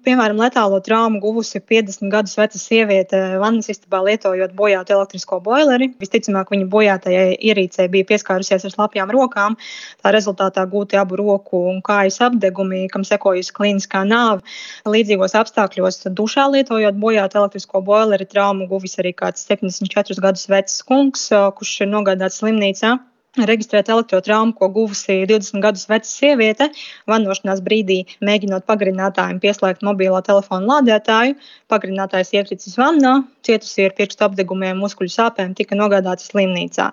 Piemēram, letālo traumu guvusi 50 gadus veca sieviete vannas istabā lietojot bojātu elektrisko boileri. Visticamāk, viņa bojātajai ierīcei bija pieskārusies ar slapjām rokām. Tā rezultātā gūti abu roku un kājas apdegumi, kam sekojusi klīniskā nāve. Līdzīgos apstākļos dušā lietojot bojātu elektrisko boileri traumu guvis arī kāds 74 gadus vecs kungs, kurš ir nogādāts slimnīcā. Reģistrēta elektrotrauma, ko guvusi 20 gadus veca sieviete, vannošanās brīdī mēģinot pagarinātājiem pieslēgt mobilo telefonu lādētāju. Pagarinātājs iekritis vannā, cietusī ar pirkstu apdegumiem, muskuļu sāpēm tika nogādāta slimnīcā.